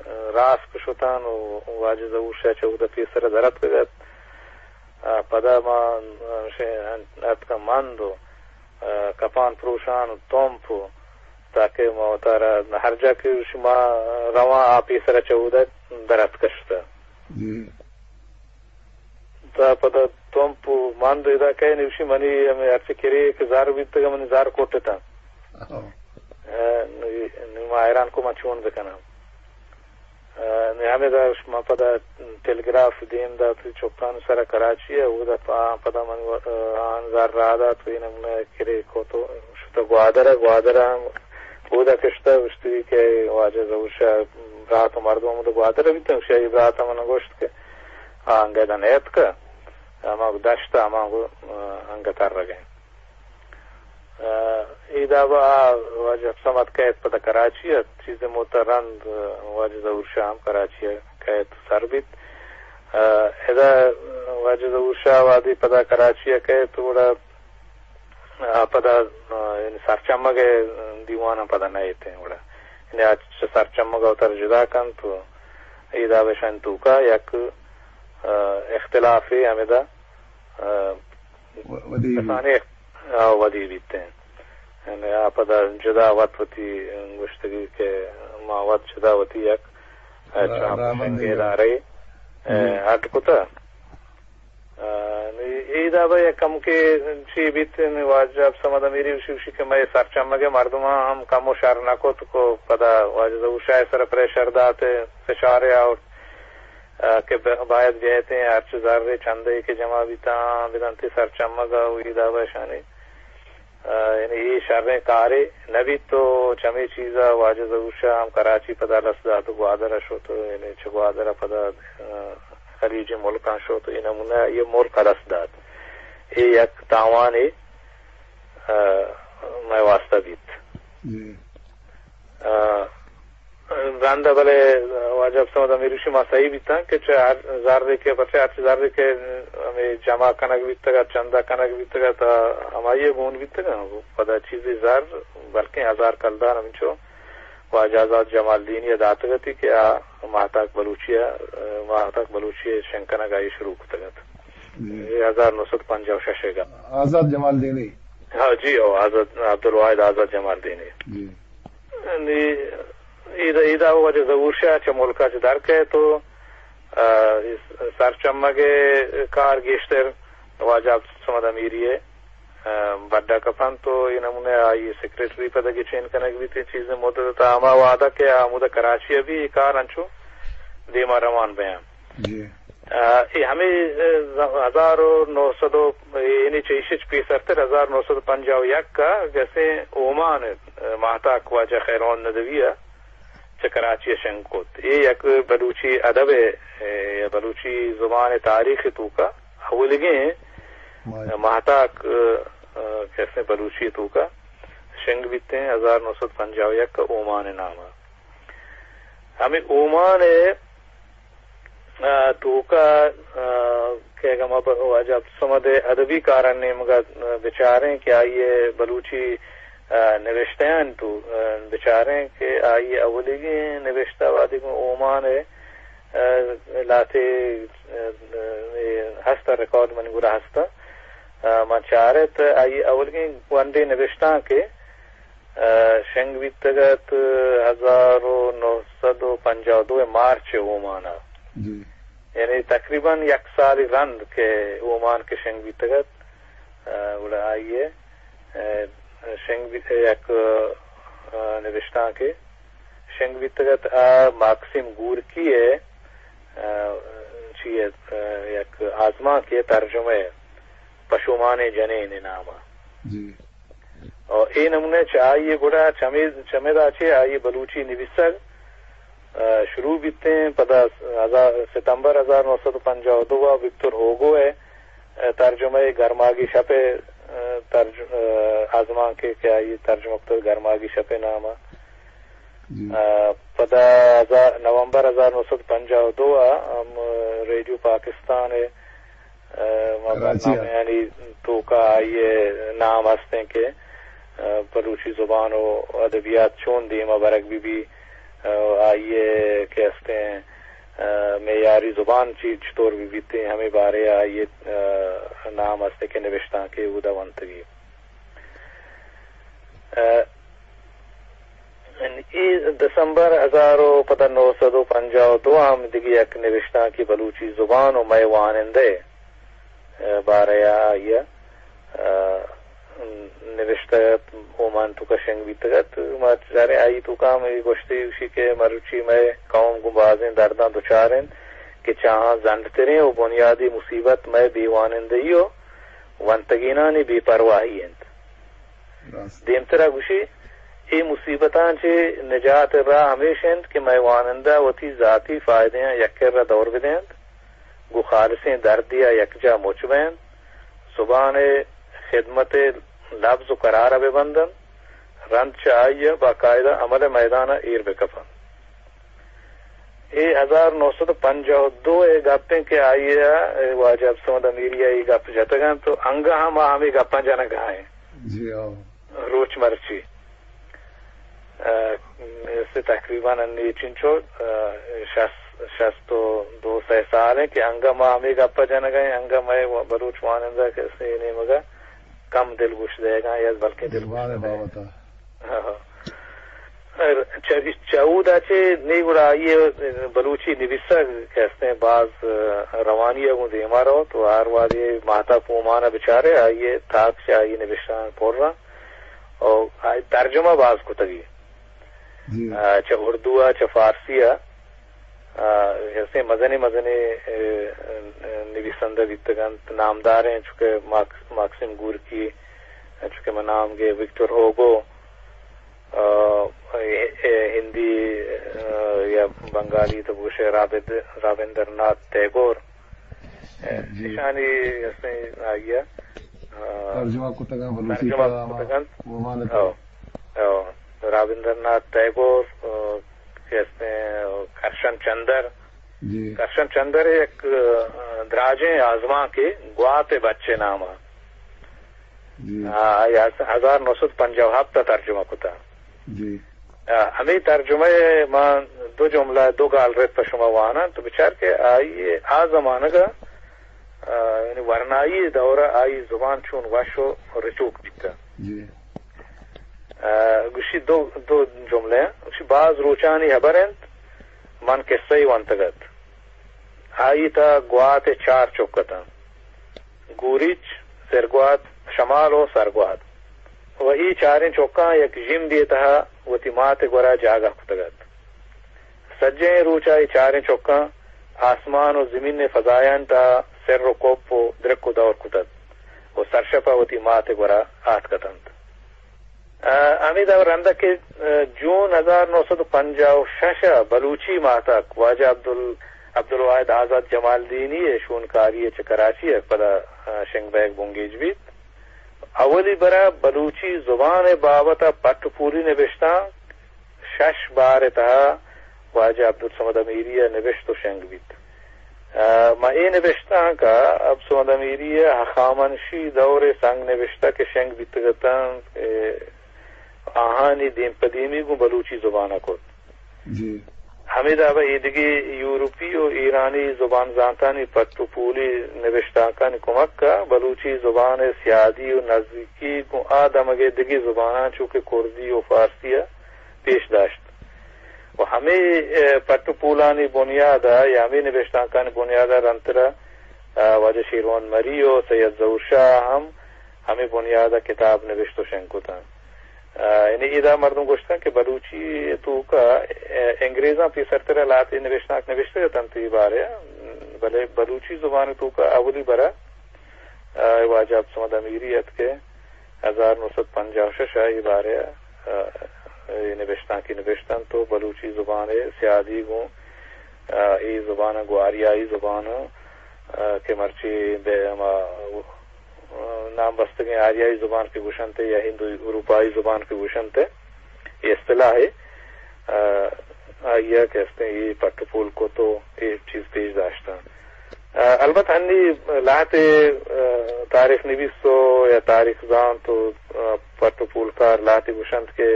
ءُ راسک شتاں ءُ واجہ ظہور شاہ چہ اودا پیسر ءَ در اتکگ اَت۔ ءُ پدا ما، ءُ اتکاں مند ءُ، ءُ کپان پروشان ءُ تمپ ءُ تاکہ ما وتارا ہر جا کہ شما رواں آ پیسر ءَ چہ اودا در اتک شتاں۔ جی۔ تا پدا تمپ ءُ مند ادا کئے نوشی منی ہمے ہرچی کرے کہ زر بیتگ منی زر کٹتاں۔ ہو۔ ءُ نی، نی ما حیران کو ما چون بکناں۔ ءُ نی ہمے دا شما پدا ٹیلیگراف دیم دات چکان سرا کراچی ءَ، اودا پا-، پدا من و-، آن زر را دات، اے نمونہ کرے کو تو شتہ گوادر ءَ، گوادر ءَ ہم اودا کشتہ، گوشتی کہ واجہ ظہور شاہ برات ءُ مردم ہمودا گوادر ءَ بیتاں، شاہی برات ءَ من گوشت کہ آ انگت نیتکہ، ہما دشت ءَ ہما گو-، انگت ترگ ءَ۔ ءُ اے دابا آ واجہ صمد کئیت پدا کراچی ءَ، چیزے مدت ءَ رند واجہ ظہور شاہ ہم کراچی ءَ کئیت سر بیت۔ ءُ ادا واجہ ظہور شاہ وہدے پدا کراچی ءَ کئیت گڑا آ پدا، آ، یعنی سرچمگ ءِ دیوان ءَ پدا نئیت ایں گڑا۔ یعنی آ چہ سرچمگ ءَ وتر جدا کنت ءُ اے دابا اشانی توکا یک، آ، اختلافے ہمدا، آ، و-، ودی بیت۔ کسانیں اخ-، آ، ودی بیت ایں۔ یعنی آ پدا جدا وت وتی گوشتگی کہ ما وت جدا وتی یک، آ، را-، چاپ راہبندے شنگے ادارے، آ، جی۔ اڈ کتہ۔ آ، نی اے دابا یک کمکے چی بیت، نی واجہ صمد امیری گوشی، گوشی کہ مئے سرچمگ ءِ مردماں ہم کمو شر نہ کت کو پدا واجہ ظہور شاہ ءِ سر ءَ پریشر دات، فشارے آورت، آ، کہ ب-، باید بیایت ایں ہرچ زرے چندے کہ جمع بیتاں بدنت سرچمگ ءَ ءُ اے دابا اشانی ءُ یعنی اے شریں کارے نہ بیت ءُ چمے چیز ءَ واجہ ظہور شاہ ہم کراچی پدا لس دات ءُ گوادر ءَ شت ءُ یعنی چہ گوادر ءَ پدا، آ، خلیجی ملکاں شت ءُ اے نمونہ اے ملک ءَ لس دات۔ اے یک تاوانے، آ، مئے واسطہ بیت۔ جی۔ آ، رند ءَ بلے واجہ صمد امیری گوشی ما سہی بیتاں کہ چہ ہر زرے کہ، پرچہ ہرچ زرے کہ ہمے جمع کنگ بیتگ ات، چندہ کنگ بیتگ ات، تا ہمائی ءَ گون بیتگ ات۔ پدا چیزے زر بلکیں ہزار کلدار ہمینچو واجہ آزاد جمالدینی ءَ داتگ اتی کہ آ ماہتاک بلوچی ءَ، ماہتاک بلوچی ءِ شنگ کنگ ءَ آئی شروع کتگ ات۔ جی۔ اے ہزار نو سد پنجاہ ءُ شش ءَ گپ۔ آزاد جمالدینی؟ ہاں جی، او آزاد، عبدالواحد آزاد جمالدینی۔ جی۔ نی، ادا، ادا واجہ ظہور شاہ چہ ملک ءَ چہ در کئیت ءُ، آ، سرچمگ ءِ کار گیشتر واجہ عبدالصمد امیری ءِ، آ، بڈ ءَ کپنت ءُ اے نمونہ ءَ آئی سیکرٹری پدا گچین کنگ بیت، اے چیزیں مدت ءَ تا ہما وہد ءَ کہ آ ہمودا کراچی ءَ بی اے کار انچو دیما روان بیاں۔ جی۔ آ، اے ہمے، آ، ہزار و نو سد و، یعنی چہ ایشی چہ پیسرتر ہزار نو سد و پنجاہ و یک ءَ کسیں اومان ءَ، آ، ماہتاک واجہ خیر محمد ندوی ءَ چہ کراچی ءَ شنگ کت۔ اے یک بلوچی ادب ءِ، آ، یا بلوچی زبان ءِ تاریخ ءِ توکا اولیگیں ماہتاک، آ، کسیں بلوچی ءِ توکا شنگ بیتیں ہزار نو سد و پنجاہ و یک ءَ اومان ءِ نام ءَ۔ ہمے اومان ءِ آ، توکا، آ، کہ اگاں ما پہ واجہ عبدالصمد ءِ ادبی کارانی نیمگا، آ، بچاریں کہ آئی ءِ بلوچی، آ، نوشتیانی تو، آ، بچاریں کہ آئی ءِ اولیگیں نوشتہ وہدے گوں اومان ءِ، آ، لہتے، آ، اے ہست ءَ، ریکارڈ منی گورا ہست ءَ۔ آ، من چارت آئی ءِ اولیگیں ونڈیں نوشتانک کہ آ، شنگ بیتگ ات ہزار و نو سد و پنجاہ و دو ءِ مارچ ءِ اومان ءَ۔ جی۔ یعنی تقریباً یک سالے رند کہ اومان کہ شنگ بیتگ ات، آ، گڑا آئی ءِ، آ، شنگ بیت، یک، آ، نبشتانکے شنگ بیتگ ات، آ ماکسیم گورکی ءِ، آ، چی ءِ، آ، یک آزمانکے ءِ ترجمہ ءِ پشومانیں جنین ءِ نام ءَ۔ جی۔ و اے نمونہ چہ آئی ءِ گڑا چمے، چمیدا چہ آئی ءِ بلوچی نبیسگ، آ، شروع بیتیں۔ پدا ہزار، ستمبر ہزار نو سد و پنجاہ و دو ءَ وکتور ہوگو ءِ، آ، ترجمہ ءِ گرماگی شپ ءِ، آ، ترج-، آ، آزمانکے کہ آئی ءَ ترجمہ کتگ گرماگی شپ ءِ نام ءَ۔ جی۔ آ، پدا ہزار، نومبر ہزار نو سد و پنجاہ و دو ءَ ہم ریڈیو پاکستان ءِ، آ، ما کراچی ءَ۔ برنامہانی توکا آئی ءِ نام ہستیں کہ، آ، بلوچی زبان و ادبیات چون دیما برگ بہ بی، آ، آئی ءِ کہ ہستیں، آ، معیاری زبان چی چطور بہ بیتیں، ہمے بارے ءَ آئی ءِ، آ، نام ہستیں کہ نبشتانکے اودا ونتگی۔ آ، اے دسمبر ہزار و پدا نو سد و پنجاہ و دو ءَ ہم دگہ یک نبشتانکے بلوچی زبان و مئے وانندہ ءِ، آ، بارہ ءَ آئی ءَ، آ، نبشتہ اومان توکا شنگ بیتگ ات۔ ما چاریں آئی توکا ہم اے گوشتے گوشی کہ مروچی مئے قوم گوں بازیں درداں دچار انت کہ چہ آہاں زنڈتریں و بنیادی مصیبت مئے بے وانندہی و ونتگینانی بے پرواہی انت۔ راست۔ دیمترا گوشی، اے مصیبتاں چہ نجات ءِ راہ ہمیش انت کہ مئے وانندہ وتی ذاتی فائدہاں یک کرا دور بدینت، گوں خالصیں دردے ءَ یکجاہ مچ بینت، زبان ءِ خدمت ءِ لبز و قرار ءَ ببندنت، رند چہ آئی ءَ باقاعدہ عمل ءِ میدان ءَ ایر بکپنت۔ اے ہزار نو سد و پنجاہ و دو ءِ گپ انت کہ آئی ءَ، اے، واجہ عبدالصمد امیری ءَ اے گپ جتگ انت و انگہ ہم آ ہمے گپاں جنگ ءَ انت۔ جی ہاں۔ روچ مرچی، آ، سے تقریباً انی چنچو، آ، شست، شست و دو سئے سال انت کہ انگہ ما ہمے گپ ءَ جنگ ءَ ایں، انگہ مئے بلوچ وانندہ کسے نیمگ ءَ کم دلگوش دئیگ ءَ انت یا بلکیں دلگوش زبان ءِ نہ دئیگ ءَ۔ بابت ءَ۔ ہاں، ہاں۔ چہ، چہ اودا چہ نی گڑا آئی ءِ بلوچی نبیسگ کہ ہستیں باز، آ، روانی ءَ گوں دیما روت و ہر وہدے ماہتاک اومان ءَ بچارے آئی ءِ تاک چہ آئی ءِ نبشتانک پر انت و آئی ترجمہ باز کتگی۔ جی۔ آ، چہ اردو ءَ، چہ فارسی ءَ، آ، ہستیں مزنیں مزنیں، اے، اے، نبیسندہ بیتگ انت، نامداریں چوکہ ماکس-، ماکسیم گورکی، چوکہ من نام گے وکٹور ہوگو، آ، اے، اے، ہندی، آ، یا بنگالی تو گوشے رابد-، رابندر ناتھ ٹیگور۔ جی۔ ایشانی ہستیں آئی ءَ، آ، ترجمہ کتگ انت بلوچی ترجمہ کلام ءَ کتگ انت۔ اومان ءِ او، او، رابندر ناتھ ٹیگور، آ، کہ ہستیں کرشن چندر۔ جی۔ کرشن چندر یک، آ، دراجیں آزمانکے گوات ءِ بچ ءِ نام ءَ۔ جی۔ آ، آئی ءَ ہزار نو سد پنجاہ و ہپت ءَ ترجمہ کتہ۔ جی۔ آ، ہمے ترجمہ ءَ من دو جملہ، دو گالرد پہ شما واناں تو بچار کہ آئی ءَ آ زمانگ ءَ، آ، یعنی ورنائی دور ءَ آئی زبان چون وش و رچوک بیتہ۔ جی۔ آ، گوشی دو، دو جملہ، گوشی باز روچانی ہبر انت، من قصہ ونتگ ات۔ آئی تہا گوات ءِ چار چک اتاں۔ گوریچ، سرگوات، شمال و سرگوات۔ و اے چاریں چکاں یک ژندے تہا وتی مات ءِ گورا جاگہ کتگ ات۔ سجہیں روچ ءَ اے چاریں چکاں آسمان و زمین ء فضایان تا سر و کپ و درک و دور کتت و سرشپ ء وتی مات ء گورا آتک اتنت۔ ء ہمے دور رندا کہ، ء، جون ہزار نو سد و پنجاہ و شش ء بلوچی ماہتاک واجہ عبدال-، عبدالواحد آزاد جمالدینی ء شونکاری ء چہ کراچی ء پدا، ء، شنگ بئیگ بنگیج بیت۔ اولی برا بلوچی زبان ء بابت ء پٹ و پولی نبشتانک شش بار ء تہا واجہ عبدالصمد امیری ء نبشت و شنگ بیت۔ ء، ما اے نبشتانک ء عبدالصمد امیری ء ہخامنشی دور ء سنگ نبشتہ کہ شنگ بیتگ اتنت، ء، آہانی دیم پہ دیمی گوں بلوچی زبان ء کت۔ جی۔ ہمے داب ء ایدگہ یورپی و ایرانی زبان زانتانی پٹ و پولی نبشتانکانی کمک ء بلوچی زبان ء سیادی و نزیکی گوں آ دمگ ء دگہ زباناں چو کہ کردی و فارسی ء پیش داشت۔ و ہمے، ء، پٹ و پولانی بنیاد ء یا ہمے نبشتانکانی بنیاد ء رندتر ء، ء، واجہ شیروان مری و سید ظہور شاہ ء ہم ہمے بنیاد ء کتاب نبشت و شنگ کتاں۔ ء، یعنی ادا مردم گوشتن کہ بلوچی توکا، ء، انگریزاں پیسرتر ء لہتے نبشتانک نبشتگ اتنت اے بارے ء، بلے بلوچی زبان توکا اولی برا، ء، واجہ عبدالصمد امیری اتکے۔ ہزار نو سد پنجاہ و شش ء اے بارے ء، ء، اے نبشتانکی نبشتنت و بلوچی زبان ء سیادی گوں، ء، اے زبان ء گوں آریائی زبان ء، ء، کہ مرچی بہ ہما، ء، نام بستگیں آریائی زبان کہ گوشنت یا ہندو اروپائی زبان کہ گوشنت، اے اصطلاح ء، ء، آئی ء کہ استیں اے پٹ و پول کت و اے چیز پیش داشتاں۔ ء، البت ہنی لہتے، ء، تاریخ نویس و یا تاریخ زانت و، ء، پٹ و پولکار لہتے گوشنت کہ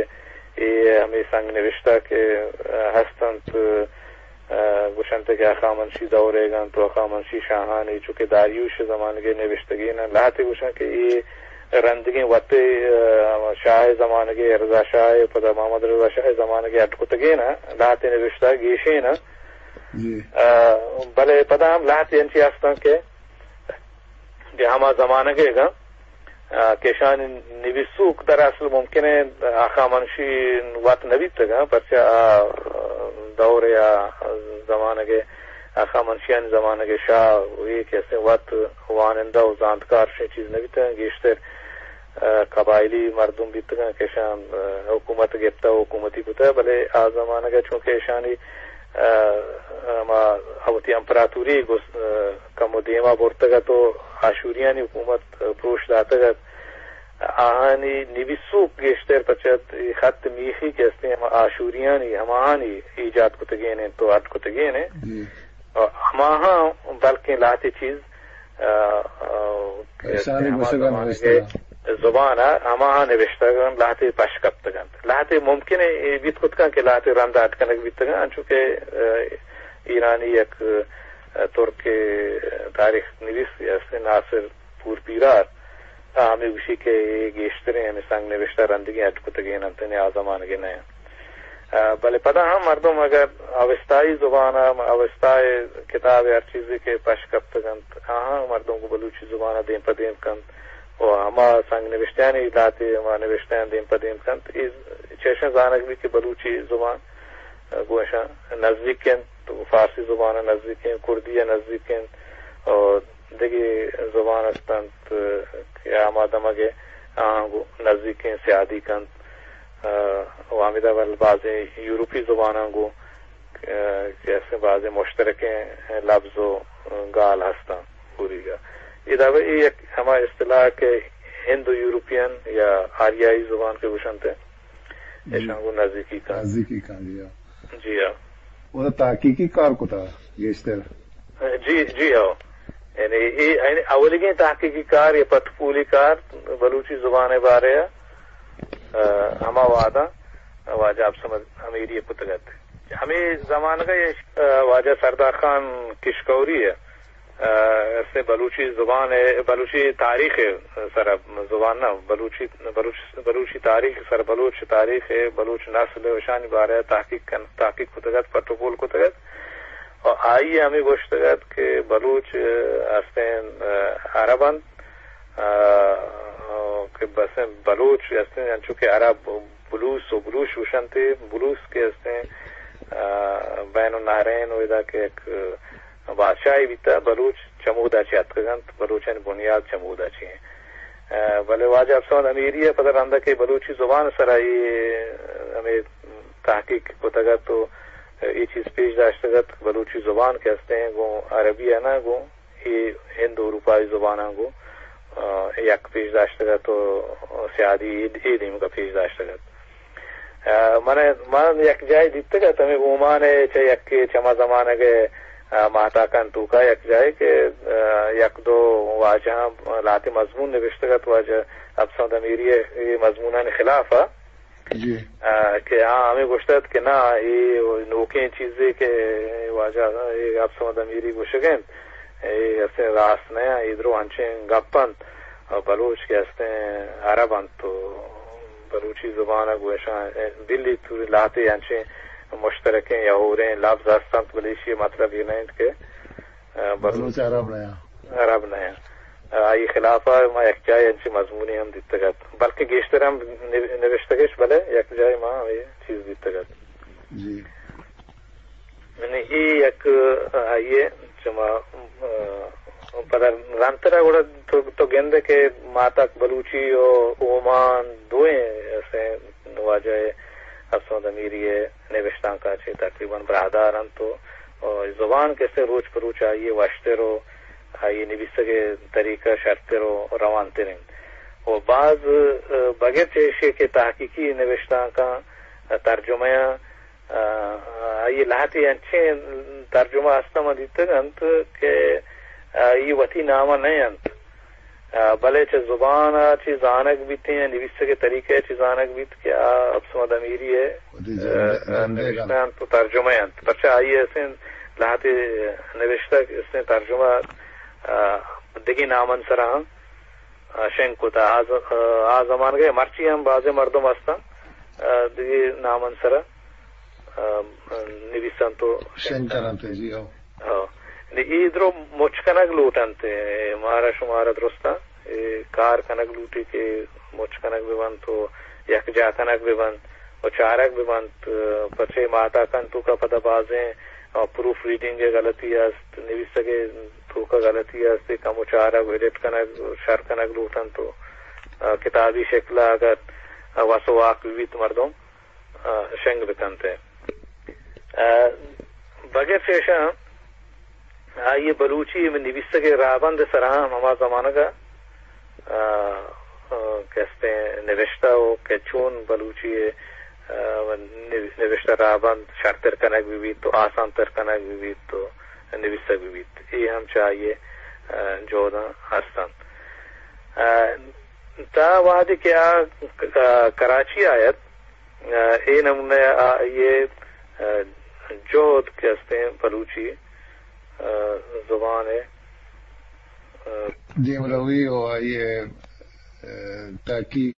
اے ہمے سنگ نوشتہ کہ، ء، ہستنت، ء، گوشنت کہ ہخامنشی دور ء گنت و ہخامنشی شاہانی چو کہ داریوش ء زمانگ ء نوشتگین انت۔ لہتے گوشنت کہ اے رندگیں وتے، ء، شاہ ء زمانگ ء، رضا شاہ ء، پدا محمد رضا شاہ ء زمانگ ء اڈ کتگین انت۔ لہتے نوشتہ گیشین انت۔ جی۔ ء، بلے پدا ہم لہتے انچی ہستاں کہ، کہ ہما زمانگ ء گاں، ء، کہ اشانی نویسوک در اصل ممکن ہے ہخامنشی وت نہ بیتگ انت، پرچہ آ دور یا زمانگ ء ہخامنشیانی زمانگ ء شاہ اے کہ استیں وت وانندہ و زانتکار شیں چیز نہ بیتگ انت، گیشتر ء، قبائلی مردم بیتگاں کہ اشاں، ء، حکومت گپتہ و حکومتی کتہ، بلے آ زمانگ ء چونکہ اشانی، ء، ہما وتی امپراتوری گس-، ء، کمو دیما برتگ ات و آشوریانی حکومت، ء، پروش داتگ ات۔ آہانی نویسوک گیشتر پچت اے خط میخی کہ استیں ہما آشوریانی ہماہانی ایجاد کتگین انت و اڈ کتگین انت۔ جی۔ ہماہاں بلکیں لہتے چیز، ء، ء، کہ ایشانی ہما گوشگ ء زمانگ نوشتگ ء انت۔ زبان ء ہماہاں نوشتگ انت، لہتے پش کپتگ انت۔ لہتے ممکن اے بیت کت کنت کہ لہتے رند اڈ کنگ بیتگ انت، انچو کہ، ء، ایرانی یک، ء، ترک تاریخ نویس است ناصر پور پیرار، آ ہمے گوشی کہ اے گیشتریں ہمے سنگ نوشتہ رندگیں اڈ کتگین انت، یعنی آ زمانگے نہ انت۔ ء، بلے پدا ہم مردم اگر اوستائی زبان ء، اوستائے کتاب ء ہر چیزے کہ پش کپتگ انت، آہاں مردم گوں بلوچی زبان ء دیم پہ دیم کنت و ہما سنگ نوشتیانی لہتے ہما نوشتیان دیم پہ دیم کنت۔ اے چہ اشاں زانگ بیت کہ بلوچی زبان، ء، گوں اشاں نزیک انت، فارسی زبان ء نزیک انت، کردی ء نزیک انت و دگہ زبان است انت کہ ہما دمگ ء آہاں گوں نزیکیں سیادی کنت، ء، و ہمیدا ول بازیں یورپی زباناں گوں، ء، کہ استیں بازیں مشترکیں لبز و گال ہستاں پوریگا۔ ادا اے یک ہما اصطلاح کہ ہند و یورپین یا آریائی زبان کہ گوشنت، جی۔ اشاں گوں نزیکی کنت۔ نزیکی کنت، جی ہاں۔ جی ہاں۔ او تحقیقی کار کتا گیشتر۔ جی، جی ہو۔ یعنی اے، یعنی اولیگیں تحقیقی کار یا پٹ پولی کار بلوچی زبان ء بارے ء، ء، ہما وہداں واجہ عبدالصمد امیری ء کتگ ات۔ ہمے زمانگ ء اے، ء، واجہ سردار خان کشکوری ء، ء، استیں بلوچی زبان ء، بلوچی تاریخ ء سر ء، زبان نہ، بلوچی، بلوچ، بلوچی تاریخ ء سر ء، بلوچ تاریخ ء، بلوچ نسل ء، اشانی بارے ء تحقیق کن، تحقیق کتگ ات، پٹ و پول کتگ ات۔ و آئی ء ہمے گوشتگ ات کہ بلوچ، ء، استیں، ء، عرب انت، ء، کہ بس بلوچ استیں، انچو کہ عرب بلوس و بلوش گوشنت، بلوس کہ استیں، ء، بین النہرین و ادا کہ یک، ء، بادشاہے بیتہ، بلوچ چمودا چہ اتکگ انت، بلوچانی بنیاد چمودا چہ انت۔ ء، بلے واجہ افسند امیری ء پدا رندا کہ بلوچی زبان سرا اے، ہمے تحقیق کتگ ات و اے چیز پیش داشتگ ات، بلوچی زبان کہ ہستیں گوں عربی ء نہ گوں اے ہند اروپائی زباناں گوں، ء، یک پیش داشتگ ات و سیادی اے، اے دیمگا پیش داشتگ ات۔ ء، من، من یک جاہے دیتگ ات، ہمے اومان ء چہ یکے چما زمانگ ء، ء، ماہتاکان توکا یک جاہے کہ، ء، یک دو واجہاں لہتے مضمون نبشتگ ات، واجہ افسند امیری ء اے مضمونانی خلاف ء۔ جی۔ ء، کہ آ ہمے گوشت ات کہ نا، اے نوکیں چیزے کہ واجہ اے افسند امیری گوشگ انت، اے اصلیں راست نہ انت، اے درو انچیں گپ انت۔ ء بلوچ کہ ہستیں عرب انت و بلوچی زبان ء گوں اشاں بلی تو لہتے انچیں مشترکیں یا ہوریں لبز ہست انت، بلے ایشی ء مطلب اے نہ انت کہ، ء، بلوچ بلوچ عرب نہ انت۔ عرب نہ انت۔ ء آئی خلاف ء ما یک جاہے انچیں مضمونے ہم دیتگ ات، بلکہ گیشتر ہم نب-، نبشتگش، بلے یک جاہے ما ہمے چیز دیتگ ات۔ جی۔ یعنی اے یک، آئی ء چما، ء، پدا رندتر ء گڑا تو، تو گندے کہ ماہتاک بلوچی و اومان دوئیں اسے واجہ افسند امیری ء نبشتانکاں چہ تقریباً براہدار انت و، و زبان کہ اسے روچ پہ روچ آئی ء وشتر و آئی ء نبیسگ ء طریقہ شرتر و روانتر انت۔ و باز، ء، بغیر چہ ایشی کہ تحقیقی نبشتانکاں ترجمہ ء ء، آئی ء لہتے انچیں ترجمہ ہست ء من دیتگ انت کہ، ء، آئی وتی نام ء نہ انت، ء، بلے چہ زبان ء چہ زانگ بیت یا نبیسگ ء طریقہ ء چہ زانگ بیت کہ آ افسند امیری ء، وتی ء، جند-، ء، جندے نبشتہ گل۔ انت و ترجمہ انت۔ پرچہ آئی ء اسیں لہتے نبشتہ اسیں ترجمہ، ء، دگہ نامن سرا ہم ء، شنگ کت۔ آ ز-، ء، آ زمانگ ء مرچی ہم بازیں مردم ہستاں، ء، دگہ نامن سرا، ء، نبیسنت و شنگ کننت، جی، ہو۔ ہو۔ نی اے درو مچ کنگ لوٹنت، اے مارا شمارا درستاں، اے کار کنگ لوٹی کہ مچ کنگ بہ بنت و یکجا کنگ بہ بنت و چارگ بہ بنت، ء، پرچے ماہتاکان توکا پدا بازیں، ء، پروف ریڈنگ ء غلطی است، نبیسگ ء توکا غلطی است، اے کمو چارگ، ایڈٹ کنگ، شر کنگ لوٹنت و، ء، کتابی شکل ء اگر، ء، وس و واک بہ بیت مردم، ء، شنگ بہ کنت۔ ء، بغیر چہ ایشاں آئی ء بلوچی نبیسگ ء راہبند ء سرا ہم ہما زمانگ ء، ء، ء، کہ استیں نبشتہ و کہ چون بلوچی ء، ء، نب-، نبشتہ راہبند شرتر کنگ بہ بیت و آسان تر کنگ بہ بیت و نبیسگ بہ بیت۔ اے ہم چہ آئی ء، ء، جہداں ہست انت۔ ء، تا وہدے کہ آ ک-، ء، کراچی آیت، ء، اے نمونہ ء آئی ء، ء، جہد کہ استیں بلوچی، ء، زبان ء، ء، دیمروی و آئی ء، ء، تحقیق